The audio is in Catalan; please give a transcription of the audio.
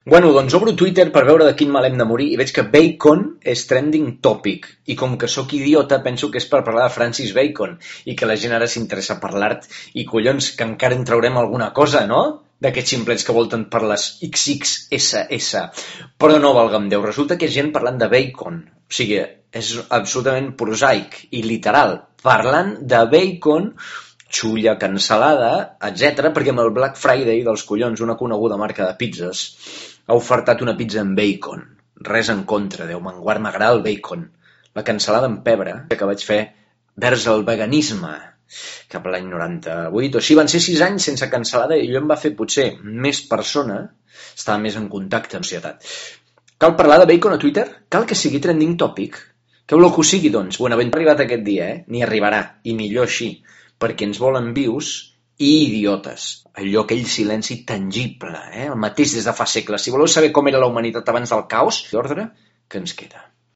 Bueno, doncs obro Twitter per veure de quin mal hem de morir i veig que Bacon és trending topic. I com que sóc idiota, penso que és per parlar de Francis Bacon i que la gent ara s'interessa per l'art i collons, que encara en traurem alguna cosa, no? D'aquests ximplets que volten per les XXSS. Però no, valga'm Déu, resulta que és gent parlant de bacon. O sigui, és absolutament prosaic i literal. Parlant de bacon, xulla cancel·lada, etc. perquè amb el Black Friday dels collons, una coneguda marca de pizzas, ha ofertat una pizza amb bacon. Res en contra, Déu me'n guard, m'agrada el bacon. La cancel·lada amb pebre que vaig fer vers el veganisme cap a l'any 98 o així, van ser 6 anys sense cancel·lada i allò em va fer potser més persona, estava més en contacte amb societat. Cal parlar de bacon a Twitter? Cal que sigui trending topic? Què voleu que ho sigui, doncs? Buenaventura ha arribat aquest dia, Ni arribarà, i millor així, perquè ens volen vius i idiotes. Allò, aquell silenci tangible, el mateix des de fa segles. Si voleu saber com era la humanitat abans del caos, l'ordre que ens queda.